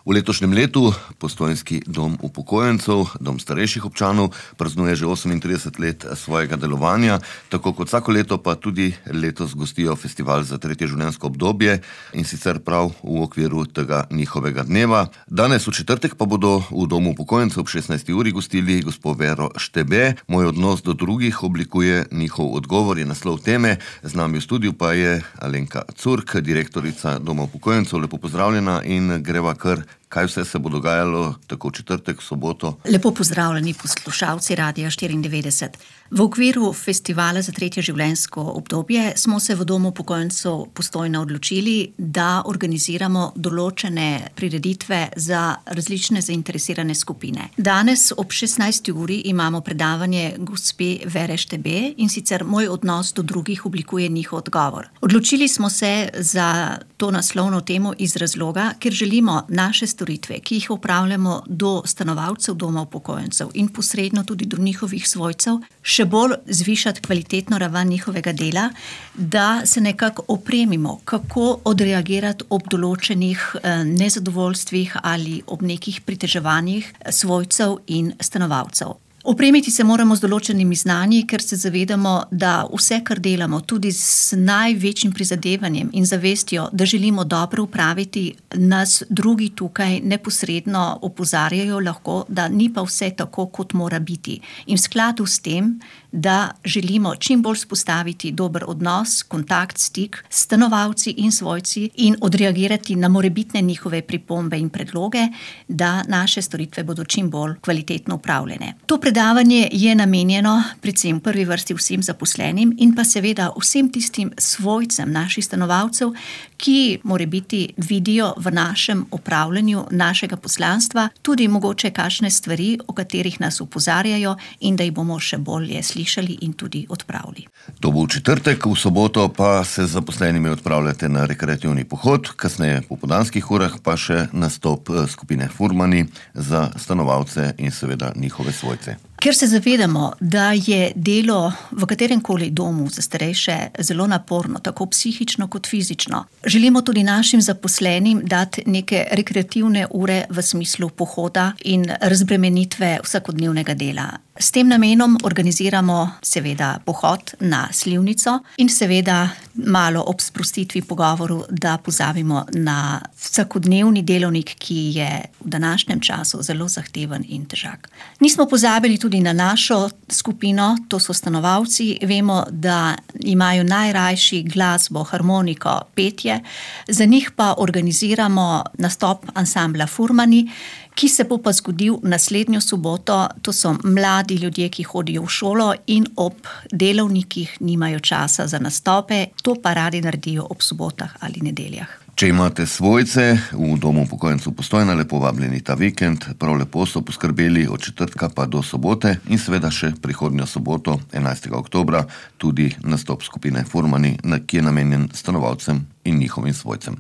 V letošnjem letu Postojnski dom upokojencev, dom starejših občanov, praznuje že 38 let svojega delovanja, tako kot vsako leto pa tudi letos gostijo festival za tretje življenjsko obdobje in sicer prav v okviru tega njihovega dneva. Danes v četrtek pa bodo v domu upokojencev ob 16. uri gostili gospo Vero Štebe. Moj odnos do drugih oblikuje njihov odgovor, je naslov teme. Z nami v studiu pa je Alenka Curk, direktorica doma upokojencev. Lepo pozdravljena in greva kar. Kaj vse se bo dogajalo tako v četrtek, v soboto? Lepo pozdravljeni poslušalci Radia 94. V okviru festivala za tretje življenjsko obdobje smo se v domu upokojencev Postojna odločili, da organiziramo določene prireditve za različne zainteresirane skupine. Danes ob 16. uri imamo predavanje gospe Vere Štebe in sicer Moj odnos do drugih oblikuje njihov odgovor. Odločili smo se za to naslovno temo iz razloga, ker želimo naše storitve, ki jih opravljamo do stanovalcev doma upokojencev in posredno tudi do njihovih svojcev, še bolj zvišati kvalitetno raven njihovega dela, da se nekako opremimo, kako odreagirati ob določenih nezadovoljstvih ali ob nekih priteževanjih svojcev in stanovalcev. Opremiti se moramo z določenimi znanji, ker se zavedamo, da vse, kar delamo, tudi z največjim prizadevanjem in zavestjo, da želimo dobro upraviti, nas drugi tukaj neposredno opozarjajo lahko, da ni pa vse tako, kot mora biti. In v skladu s tem, da želimo čim bolj spostaviti dober odnos, kontakt, stik s stanovalci in svojci in odreagirati na morebitne njihove pripombe in predloge, da naše storitve bodo čim bolj kvalitetno upravljene. To predavanje je namenjeno predvsem v prvi vrsti vsem zaposlenim in pa seveda vsem tistim svojcem naših stanovalcev, ki morebiti vidijo v našem upravljanju našega poslanstva tudi mogoče kakšne stvari, o katerih nas opozarjajo in da jih bomo še bolje slišali in tudi odpravili. To bo v četrtek, v soboto pa se z zaposlenimi odpravljate na rekreativni pohod, kasneje po popoldanskih urah pa še nastop skupine Furmani za stanovalce in seveda njihove svojce. Ker se zavedamo, da je delo v kateremkoli domu za starejše zelo naporno, tako psihično kot fizično, želimo tudi našim zaposlenim dati neke rekreativne ure v smislu pohoda in razbremenitve vsakodnevnega dela. S tem namenom organiziramo seveda pohod na Slivnico in seveda malo ob sprostitvi pogovoru, da pozabimo na vsakodnevni delovnik, ki je v današnjem času zelo zahteven in težak. Nismo pozabili tudi na našo skupino, to so stanovalci. Vemo, da imajo najrajši glasbo, harmoniko, petje. Za njih pa organiziramo nastop ansambla Furmani, ki se bo pa zgodil naslednjo soboto. To so mladi ljudje, ki hodijo v šolo in ob delovnikih nimajo časa za nastope. To pa radi naredijo ob sobotah ali nedeljah. Če imate svojce v domu upokojencev Postojna, lepo vabljeni ta vikend. Prav lepo so poskrbeli od četrtka pa do sobote in seveda še prihodnjo soboto, 11. oktobra, tudi nastop skupine Furmani, ki je namenjen stanovalcem in njihovim svojcem.